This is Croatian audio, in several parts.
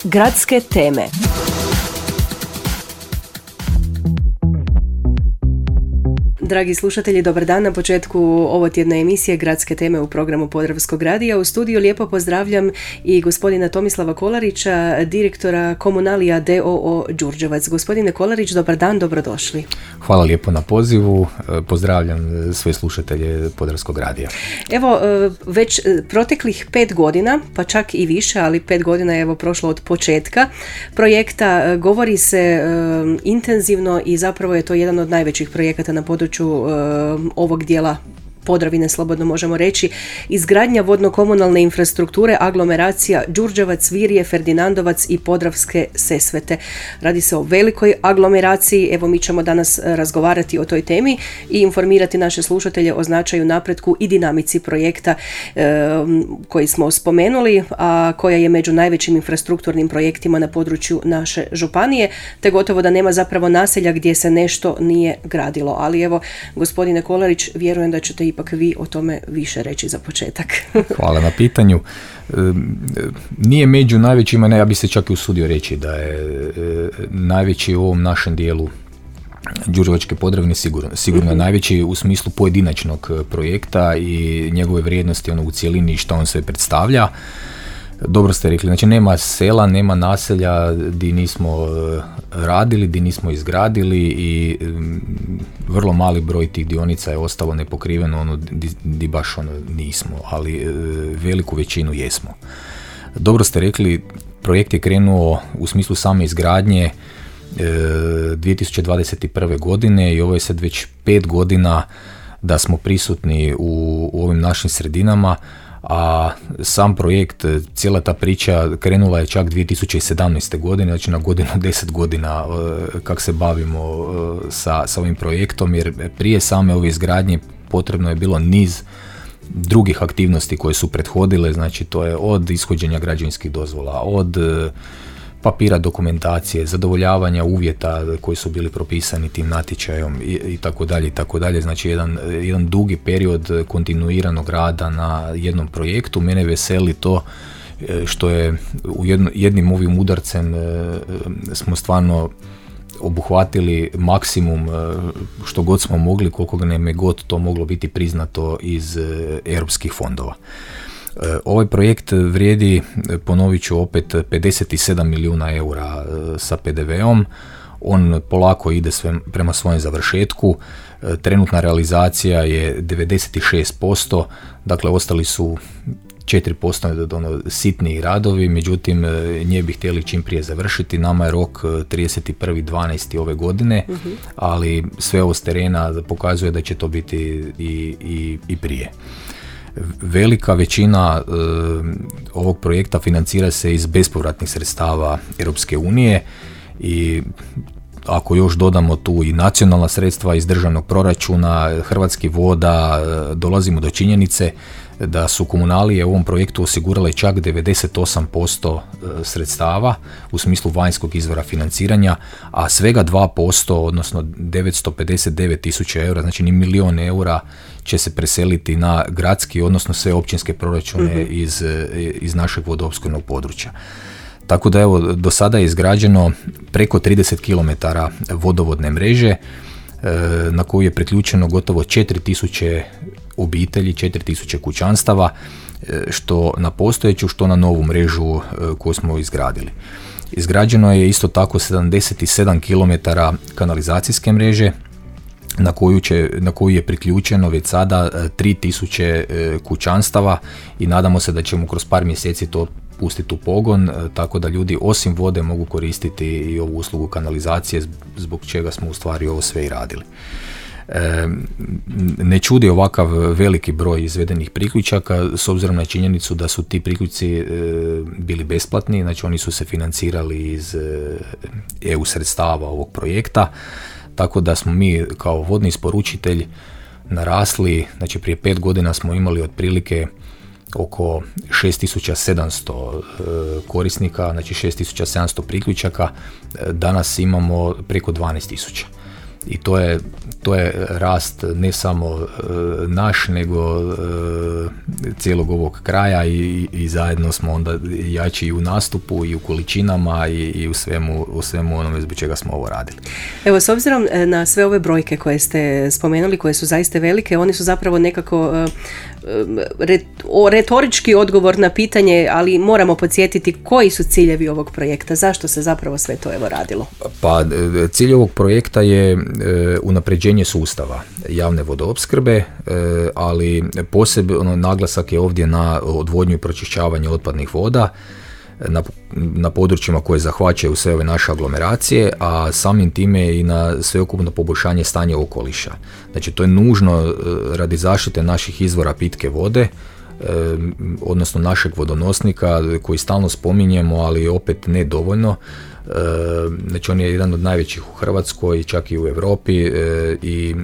Gradske teme. Dragi slušatelji, dobar dan. Na početku ovotjedne emisije Gradske teme u programu Podravskog radija. U studiju lijepo pozdravljam i gospodina Tomislava Kolarića, direktora Komunalija d.o.o. Đurđevac. Gospodine Kolarić, dobar dan, dobrodošli. Hvala lijepo na pozivu. Pozdravljam sve slušatelje Podravskog radija. Evo, već proteklih 5 godina, pa čak i više, ali 5 godina je evo prošlo od početka projekta. Govori se intenzivno i zapravo je to jedan od najvećih projekata na području ovog dijela Podravine, slobodno možemo reći, izgradnja vodno-komunalne infrastrukture aglomeracija Đurđevac, Virje, Ferdinandovac i Podravske Sesvete. Radi se o velikoj aglomeraciji. Evo, mi ćemo danas razgovarati o toj temi i informirati naše slušatelje o značaju, napretku i dinamici projekta koji smo spomenuli, a koja je među najvećim infrastrukturnim projektima na području naše županije, te gotovo da nema zapravo naselja gdje se nešto nije gradilo. Ali evo, gospodine Kolarić, vjerujem da ćete ipak vi o tome više reći za početak. Hvala na pitanju. Nije među najvećima, ne, ja bih se čak i usudio reći da je najveći u ovom našem dijelu Đurđevačke Podravine sigurno je najveći u smislu pojedinačnog projekta i njegove vrijednosti u cjelini i što on sve predstavlja. Dobro ste rekli, znači nema sela, nema naselja di nismo radili, di nismo izgradili i vrlo mali broj tih dionica je ostalo nepokriveno, di baš nismo, ali veliku većinu jesmo. Dobro ste rekli, projekt je krenuo u smislu same izgradnje 2021. godine i ovo je sad već 5 godina da smo prisutni u ovim našim sredinama, a sam projekt, cijela ta priča krenula je čak 2017. godine, znači na godinu 10 godina kako se bavimo sa ovim projektom, jer prije same ove izgradnje potrebno je bilo niz drugih aktivnosti koje su prethodile, znači to je od ishođenja građevinskih dozvola, od papira, dokumentacije, zadovoljavanja uvjeta koji su bili propisani tim natječajom i tako dalje i tako dalje. Znači jedan dugi period kontinuiranog rada na jednom projektu. Mene veseli to što je jednim ovim udarcem smo stvarno obuhvatili maksimum što god smo mogli, koliko nam je god to moglo biti priznato iz europskih fondova. Ovaj projekt vrijedi, ponovit ću opet, 57 milijuna eura sa PDV-om. On polako ide prema svojem završetku. Trenutna realizacija je 96%, dakle ostali su 4% sitniji radovi, međutim nje bi htjeli čim prije završiti. Nama je rok 31.12. ove godine, ali sve ovo s terena pokazuje da će to biti i prije. Velika većina ovog projekta financira se iz bespovratnih sredstava Europske unije i ako još dodamo tu i nacionalna sredstva iz državnog proračuna, Hrvatskih voda, dolazimo do činjenice da su komunalije u ovom projektu osigurale čak 98% sredstava u smislu vanjskog izvora financiranja, a svega 2%, odnosno 959 tisuća eura, znači ni milion eura, će se preseliti na gradski, odnosno sve općinske proračune iz našeg vodoopskrbnog područja. Tako da evo, do sada je izgrađeno preko 30 km vodovodne mreže na koju je priključeno gotovo 4000 obitelji, 4000 kućanstava, što na postojeću, što na novu mrežu koju smo izgradili. Izgrađeno je isto tako 77 km kanalizacijske mreže na koju je priključeno već sada 3000 kućanstava i nadamo se da ćemo kroz par mjeseci to pustiti u pogon, tako da ljudi osim vode mogu koristiti i ovu uslugu kanalizacije, zbog čega smo u stvari ovo sve i radili. Ne čudi ovakav veliki broj izvedenih priključaka s obzirom na činjenicu da su ti priključci bili besplatni, znači oni su se financirali iz EU sredstava ovog projekta, tako da smo mi kao vodni isporučitelj narasli, znači prije 5 godina smo imali otprilike oko 6700 korisnika, znači 6700 priključaka, danas imamo preko 12.000. I to je rast ne samo naš, nego cijelog ovog kraja i zajedno smo onda jači i u nastupu i u količinama i u svemu onome zbog čega smo ovo radili. Evo, s obzirom na sve ove brojke koje ste spomenuli, koje su zaista velike, oni su zapravo nekako retorički odgovor na pitanje, ali moramo podsjetiti koji su ciljevi ovog projekta, zašto se zapravo sve to radilo? Pa cilj ovog projekta je unapređenje sustava javne vodoopskrbe, ali posebno naglasak je ovdje na odvodnju i pročišćavanje otpadnih voda na područjima koje zahvaćaju sve ove naše aglomeracije, a samim time i na sveukupno poboljšanje stanja okoliša. Znači, to je nužno radi zaštite naših izvora pitke vode, odnosno našeg vodonosnika koji stalno spominjemo, ali opet ne dovoljno. Znači, on je jedan od najvećih u Hrvatskoj, čak i u Europi, i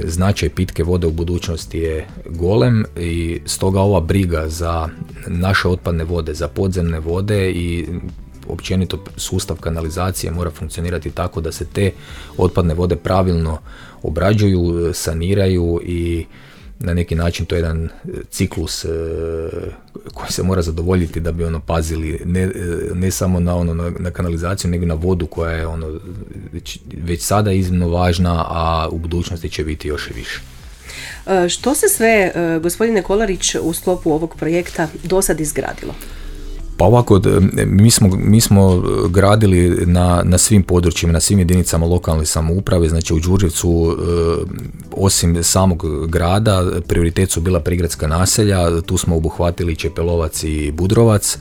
značaj pitke vode u budućnosti je golem i stoga ova briga za naše otpadne vode, za podzemne vode i općenito sustav kanalizacije mora funkcionirati tako da se te otpadne vode pravilno obrađuju, saniraju i na neki način to je jedan ciklus koji se mora zadovoljiti da bi pazili ne samo na kanalizaciju, nego na vodu koja je već sada iznimno važna, a u budućnosti će biti još i više. Što se sve, gospodine Kolarić, u sklopu ovog projekta do sad izgradilo? Pa ovako, mi smo gradili na svim područjima, na svim jedinicama lokalne samouprave. Znači, u Đurđevcu osim samog grada prioritet su bila prigradska naselja, tu smo obuhvatili Čepelovac i Budrovac.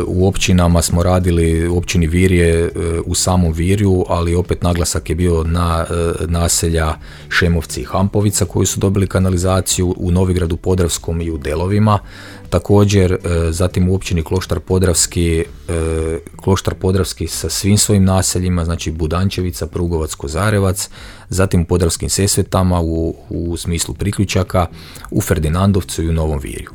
U općinama smo radili, u općini Virje u samom Virju, ali opet naglasak je bio na naselja Šemovci i Hampovica koji su dobili kanalizaciju, u Novigradu Podravskom i u Delovima. Također, zatim u općini Kloštar Podravski sa svim svojim naseljima, znači Budančevica, Prugovac, Kozarevac, zatim u Podravskim Sesvetama u smislu priključaka, u Ferdinandovcu i u Novom Virju.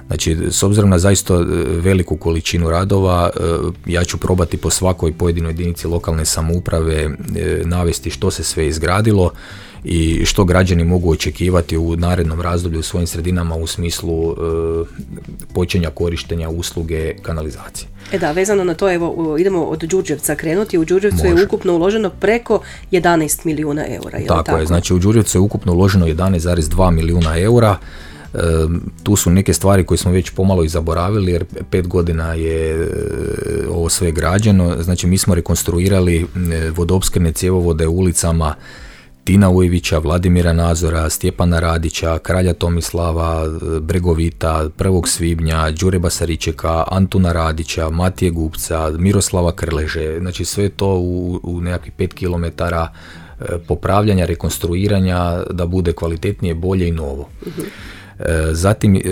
Znači, s obzirom na zaista veliku količinu radova, ja ću probati po svakoj pojedinoj jedinici lokalne samouprave navesti što se sve izgradilo i što građani mogu očekivati u narednom razdoblju u svojim sredinama u smislu počinja korištenja usluge kanalizacije. Da, vezano na to, evo, idemo od Đurđevca krenuti. U Đurđevcu je ukupno uloženo preko 11 milijuna eura. Tako je, znači u Đurđevcu je ukupno uloženo 11,2 milijuna eura. Tu su neke stvari koje smo već pomalo i zaboravili jer 5 godina je ovo sve građeno. Znači, mi smo rekonstruirali vodoopskrbne cjevovode u ulicama Tina Ujevića, Vladimira Nazora, Stjepana Radića, Kralja Tomislava, Bregovita, 1. svibnja, Đure Basaričeka, Antuna Radića, Matije Gupca, Miroslava Krleže. Znači, sve to u nekakvih 5 kilometara popravljanja, rekonstruiranja da bude kvalitetnije, bolje i novo. Zatim,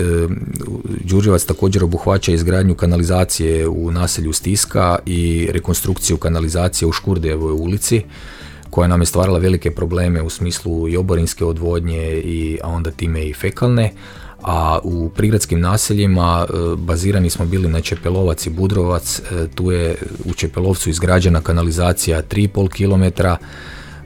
Đurđevac također obuhvaća izgradnju kanalizacije u naselju Stiska i rekonstrukciju kanalizacije u Škurdejevoj ulici, koja nam je stvarala velike probleme u smislu i oborinske odvodnje, a onda time i fekalne. A u prigradskim naseljima bazirani smo bili na Čepelovac i Budrovac. Tu je u Čepelovcu izgrađena kanalizacija 3,5 km.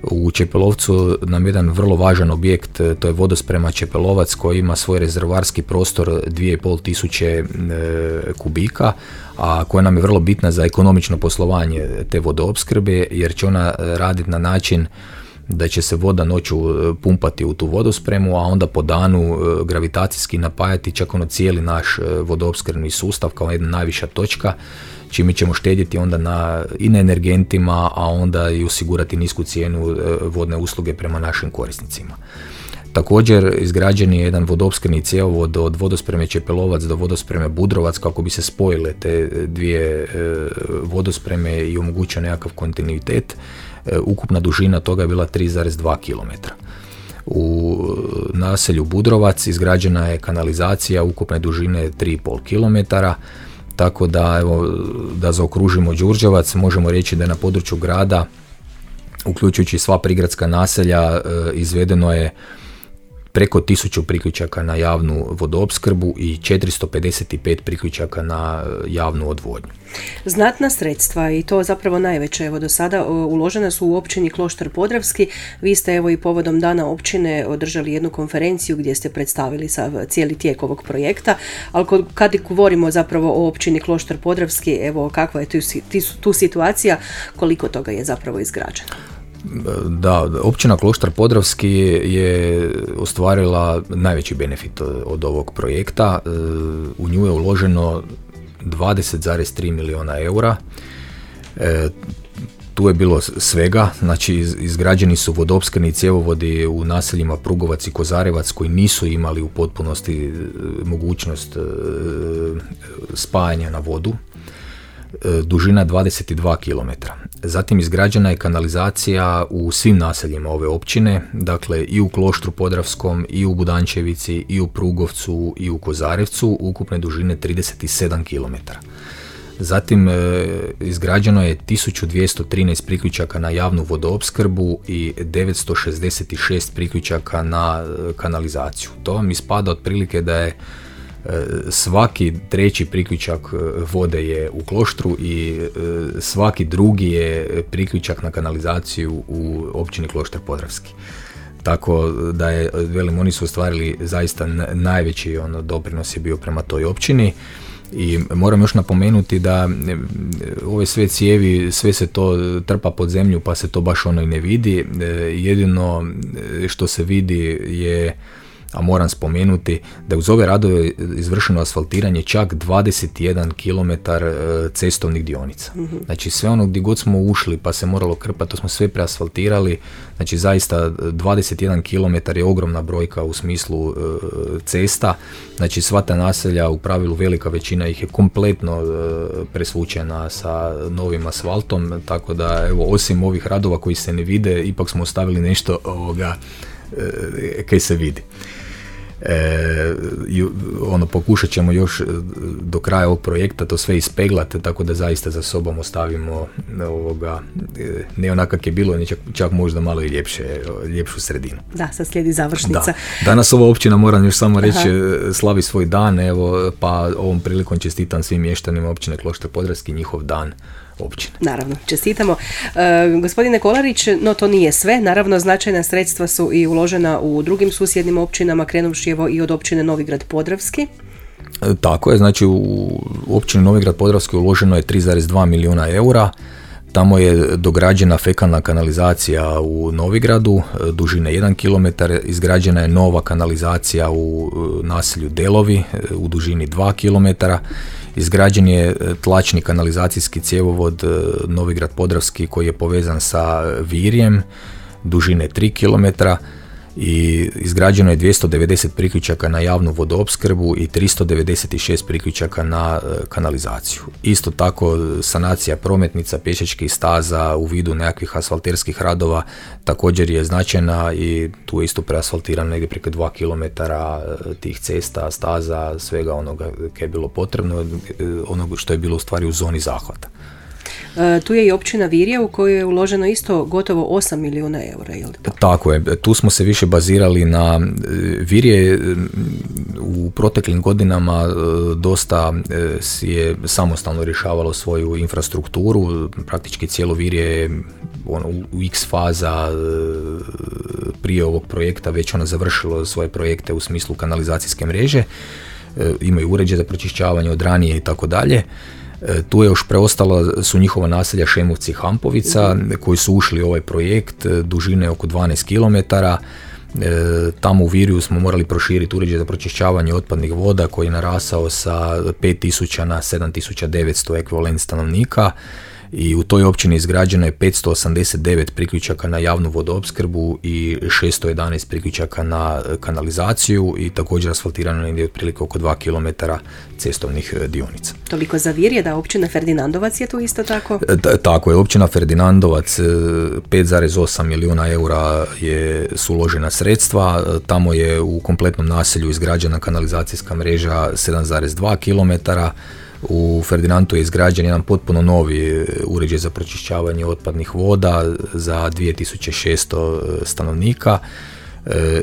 U Čepelovcu nam jedan vrlo važan objekt, to je vodosprema Čepelovac koji ima svoj rezervoarski prostor 2.500 kubika, a koja nam je vrlo bitna za ekonomično poslovanje te vodoopskrbe, jer će ona raditi na način da će se voda noću pumpati u tu vodospremu, a onda po danu gravitacijski napajati čak cijeli naš vodoopskrbni sustav kao jedna najviša točka, čime ćemo štedjeti onda i na energentima, a onda i osigurati nisku cijenu vodne usluge prema našim korisnicima. Također, izgrađen je jedan vodoopskrbni cjevovod od vodospreme Čepelovac do vodospreme Budrovac kako bi se spojile te dvije vodospreme i omogućio nekakav kontinuitet. Ukupna dužina toga je bila 3,2 km. U naselju Budrovac izgrađena je kanalizacija ukupne dužine 3,5 km. Tako da, evo, da zaokružimo Đurđevac, možemo reći da je na području grada, uključujući sva prigradska naselja, izvedeno je preko 1000 priključaka na javnu vodoopskrbu i 455 priključaka na javnu odvodnju. Znatna sredstva i to zapravo najveće do sada uložena su u općini Kloštar Podravski. Vi ste i povodom dana općine održali jednu konferenciju gdje ste predstavili cijeli tijek ovog projekta, ali kad govorimo zapravo o općini Kloštar Podravski, kakva je tu situacija, koliko toga je zapravo izgrađeno? Da, općina Kloštar Podravski je ostvarila najveći benefit od ovog projekta. U nju je uloženo 20,3 milijuna eura. Tu je bilo svega, znači izgrađeni su vodoopskrbni cjevovodi u naseljima Prugovac i Kozarevac koji nisu imali u potpunosti mogućnost spajanja na vodu. Dužina 22 km. Zatim izgrađena je kanalizacija u svim naseljima ove općine, dakle i u Kloštru Podravskom, i u Budančevici, i u Prugovcu, i u Kozarevcu, ukupne dužine 37 km. Zatim izgrađeno je 1213 priključaka na javnu vodoopskrbu i 966 priključaka na kanalizaciju. To vam ispada otprilike da je svaki treći priključak vode je u Kloštru i svaki drugi je priključak na kanalizaciju u općini Kloštar Podravski. Tako da je, oni su ostvarili zaista najveći doprinos je bio prema toj općini. I moram još napomenuti da ove sve cijevi, sve se to trpa pod zemlju pa se to baš i ne vidi. Jedino što se vidi je, a moram spomenuti, da je uz ove radove izvršeno asfaltiranje čak 21 km cestovnih dionica. Znači sve ono gdje god smo ušli pa se moralo krpati, to smo sve preasfaltirali. Znači zaista 21 km je ogromna brojka u smislu cesta. Znači sva ta naselja, u pravilu velika većina ih je kompletno presvučena sa novim asfaltom, tako da osim ovih radova koji se ne vide, ipak smo ostavili nešto kaj se vidi. Pokušat ćemo još do kraja ovog projekta to sve ispeglati, tako da zaista za sobom ostavimo ne onako kak je bilo, čak možda malo i ljepšu sredinu. Da, sad slijedi završnica. Da. Danas ova općina, moram još samo reći, slavi svoj dan, pa ovom prilikom čestitam svim mještanima općine Kloštar Podravski njihov dan općine. Naravno, čestitamo. Gospodine Kolarić, no to nije sve. Naravno, značajna sredstva su i uložena u drugim susjednim općinama, krenuvši i od općine Novigrad Podravski. Tako je, znači u općini Novigrad Podravski uloženo je 3,2 milijuna eura. Tamo je dograđena fekalna kanalizacija u Novigradu, dužine 1 km, izgrađena je nova kanalizacija u naselju Delovi u dužini 2 km, izgrađen je tlačni kanalizacijski cjevovod Novigrad Podravski koji je povezan sa Virjem, dužine 3 km, i izgrađeno je 290 priključaka na javnu vodoopskrbu i 396 priključaka na kanalizaciju. Isto tako sanacija prometnica, pješačkih staza u vidu nekakvih asfalterskih radova također je značajna i tu je isto preasfaltirano negdje preko 2 km tih cesta, staza, svega onoga koje je bilo potrebno, onoga što je bilo u stvari u zoni zahvata. Tu je i općina Virje u kojoj je uloženo isto gotovo 8 milijuna eura, je li to? Tako je, tu smo se više bazirali na Virje. U proteklim godinama dosta je samostalno rješavalo svoju infrastrukturu, praktički cijelo Virje je u X faza prije ovog projekta već završilo svoje projekte u smislu kanalizacijske mreže, imaju uređaj za pročišćavanje od ranije i tako dalje. Tu je još preostala su njihova naselja Šemovci i Hampovica koji su ušli u ovaj projekt dužine oko 12 km. Tamo u Virju smo morali proširiti uređaj za pročišćavanje otpadnih voda koji je narasao sa 5000 na 7900 ekvivalent stanovnika. I u toj općini izgrađeno je 589 priključaka na javnu vodoopskrbu i 611 priključaka na kanalizaciju i također asfaltirano je otprilike oko 2 km cestovnih dionica. Toliko za Virje, da općina Ferdinandovac je tu isto tako? Tako je, općina Ferdinandovac 5,8 milijuna eura su uložena sredstva, tamo je u kompletnom naselju izgrađena kanalizacijska mreža 7,2 km. U Ferdinandu je izgrađen jedan potpuno novi uređaj za pročišćavanje otpadnih voda za 2600 stanovnika.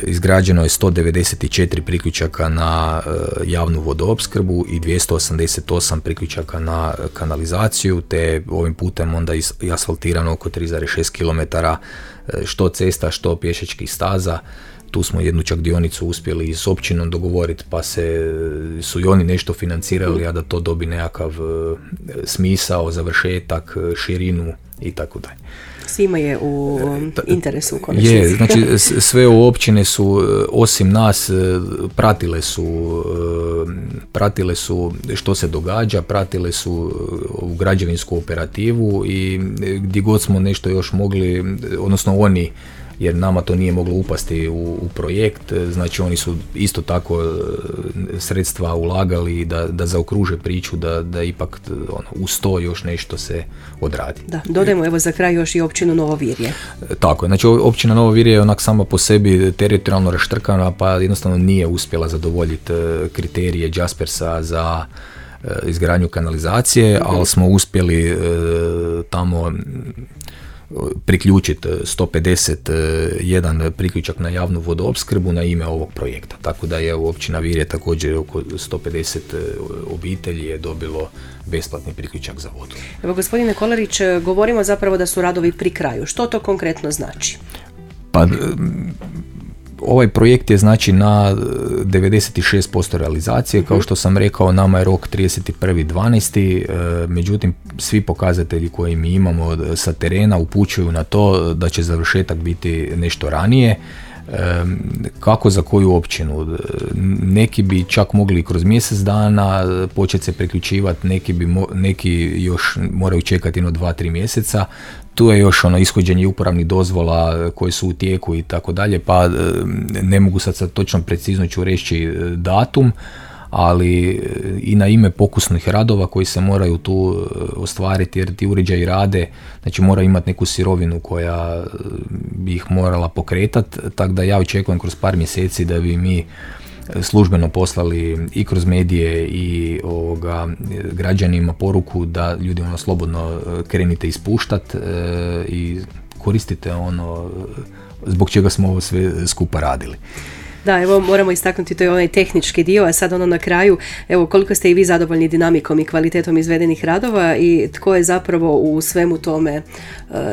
Izgrađeno je 194 priključaka na javnu vodoopskrbu i 288 priključaka na kanalizaciju, te ovim putem onda i asfaltirano oko 3,6 km što cesta, što pješačkih staza. Tu smo jednu čak dionicu uspjeli i s općinom dogovoriti, pa su i oni nešto financirali, a da to dobi nekakav smisao, završetak, širinu i tako dalje. Svima je u interesu u konačnici. Je, znači sve općine su, osim nas, pratile su što se događa, pratile su u građevinsku operativu i gdje god smo nešto još mogli, odnosno oni, jer nama to nije moglo upasti u projekt, znači oni su isto tako sredstva ulagali da zaokruže priču, da ipak uz to još nešto se odradi. Da, dodajmo evo za kraj još i općinu Novo Virje. Tako je, znači općina Novo Virje je onak sama po sebi teritorijalno raštrkana, pa jednostavno nije uspjela zadovoljiti kriterije Jaspersa za izgradnju kanalizacije, ali smo uspjeli tamo priključiti 151 priključak na javnu vodoopskrbu na ime ovog projekta. Tako da je općina Virje također oko 150 obitelji je dobilo besplatni priključak za vodu. Evo gospodine Kolarić, govorimo zapravo da su radovi pri kraju. Što to konkretno znači? Pa ovaj projekt je znači na 96% realizacije, kao što sam rekao, nama je rok 31.12. Međutim, svi pokazatelji koje mi imamo sa terena upućuju na to da će završetak biti nešto ranije. Kako za koju općinu? Neki bi čak mogli kroz mjesec dana početi se priključivati, neki još moraju čekati 2-3 mjeseca. Tu je još ishođenje uporabnih dozvola koje su u tijeku i tako dalje, pa ne mogu sad točno precizno ću reći datum, ali i na ime pokusnih radova koji se moraju tu ostvariti, jer ti uređaji rade, znači mora imati neku sirovinu koja bi ih morala pokretati, tako da ja očekujem kroz par mjeseci da bi mi službeno poslali i kroz medije i građanima poruku da ljudi slobodno krenite ispuštati i koristite zbog čega smo ovo sve skupa radili. Da, evo moramo istaknuti, to je onaj tehnički dio, a sad na kraju, evo koliko ste i vi zadovoljni dinamikom i kvalitetom izvedenih radova i tko je zapravo u svemu tome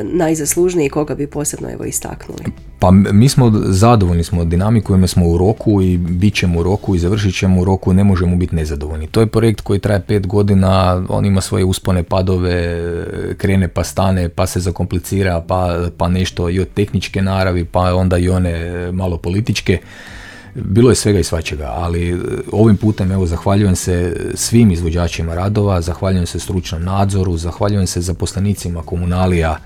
najzaslužniji, koga bi posebno istaknuli? Pa mi smo zadovoljni smo dinamikom, jer smo u roku i bit ćemo u roku i završit ćemo u roku, ne možemo biti nezadovoljni. To je projekt koji traje 5 godina, on ima svoje uspone, padove, krene pa stane, pa se zakomplicira, pa nešto i od tehničke naravi, pa onda i one malo političke. Bilo je svega i svačega, ali ovim putem zahvaljujem se svim izvođačima radova, zahvaljujem se stručnom nadzoru, zahvaljujem se zaposlenicima komunalija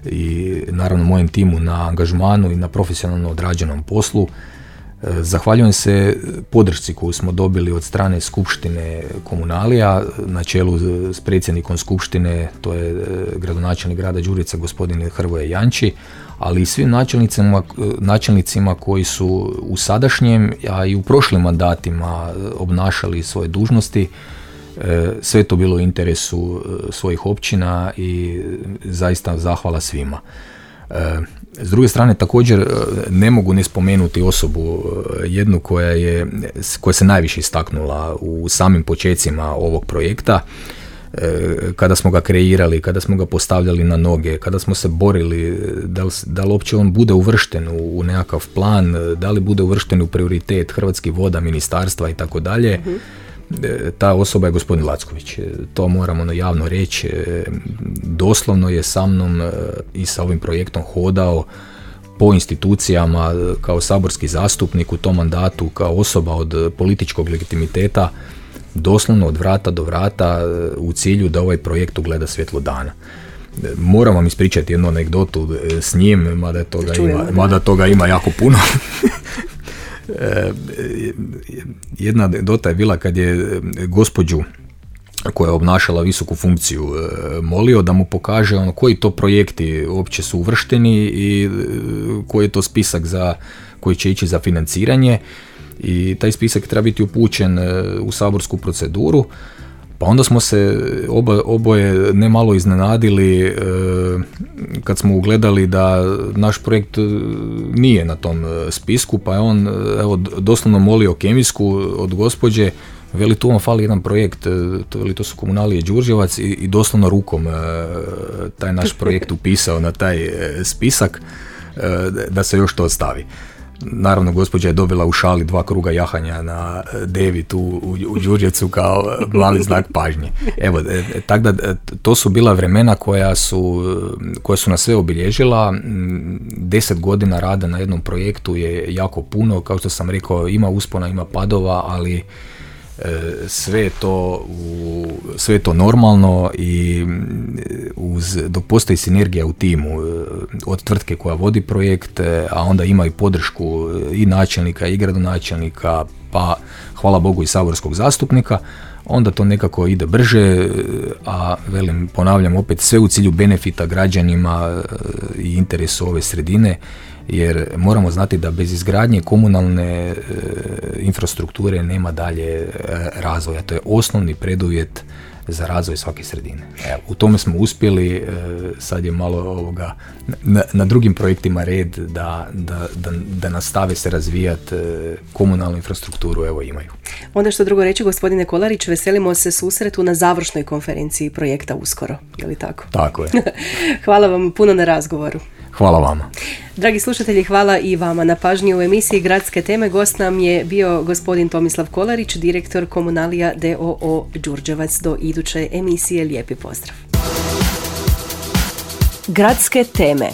i naravno mojem timu na angažmanu i na profesionalno odrađenom poslu. Zahvaljujem se podršci koju smo dobili od strane Skupštine komunalija na čelu s predsjednikom Skupštine, to je gradonačelnik grada Đurica gospodin Hrvoje Janči, ali i svim načelnicima koji su u sadašnjem, a i u prošlim mandatima obnašali svoje dužnosti. Sve to bilo u interesu svojih općina i zaista zahvala svima. S druge strane također ne mogu ne spomenuti osobu jednu koja se najviše istaknula u samim počecima ovog projekta, kada smo ga kreirali, kada smo ga postavljali na noge, kada smo se borili da li uopće on bude uvršten u nekakav plan, da li bude uvršten u prioritet Hrvatskih voda, ministarstva i tako dalje. Ta osoba je gospodin Lacković, to moramo javno reći, doslovno je sa mnom i sa ovim projektom hodao po institucijama kao saborski zastupnik u tom mandatu, kao osoba od političkog legitimiteta, doslovno od vrata do vrata u cilju da ovaj projekt ugleda svjetlo dana. Moram vam ispričati jednu anegdotu s njim, mada toga ima jako puno. Jedna anegdota je bila kad je gospođu koja je obnašala visoku funkciju molio da mu pokaže koji to projekti uopće su uvršteni i koji je to spisak koji će ići za financiranje, i taj spisak treba biti upućen u saborsku proceduru. Pa onda smo se oboje nemalo iznenadili kad smo ugledali da naš projekt nije na tom spisku, pa je on doslovno molio kemijsku od gospođe, veli tu vam fali jedan projekt, to su Komunalije Đurđevac i doslovno rukom taj naš projekt upisao na taj spisak da se još to ostavi. Naravno, gospođa je dobila u šali 2 kruga jahanja na devi tu u Đurđevcu kao mali znak pažnje. Evo, tako da to su bila vremena koja su nas sve obilježila. 10 godina rada na jednom projektu je jako puno, kao što sam rekao, ima uspona, ima padova, ali sve je to normalno i dok postoji sinergija u timu od tvrtke koja vodi projekt, a onda ima i podršku i načelnika i gradonačelnika, pa hvala Bogu i saborskog zastupnika, onda to nekako ide brže, a ponavljam opet, sve u cilju benefita građanima i interesu ove sredine, jer moramo znati da bez izgradnje komunalne infrastrukture nema dalje razvoja. To je osnovni preduvjet za razvoj svake sredine. Evo, u tome smo uspjeli, sad je malo na drugim projektima red da nastave se razvijati komunalnu infrastrukturu, evo imaju. Onda što drugo reći, gospodine Kolarić, veselimo se susretu na završnoj konferenciji projekta uskoro, je li tako? Tako je. Hvala vam puno na razgovoru. Hvala vama. Dragi slušatelji, hvala i vama na pažnji u emisiji Gradske teme. Gost nam je bio gospodin Tomislav Kolarić, direktor Komunalija d.o.o. Đurđevac. Do iduće emisije, lijepi pozdrav. Gradske teme.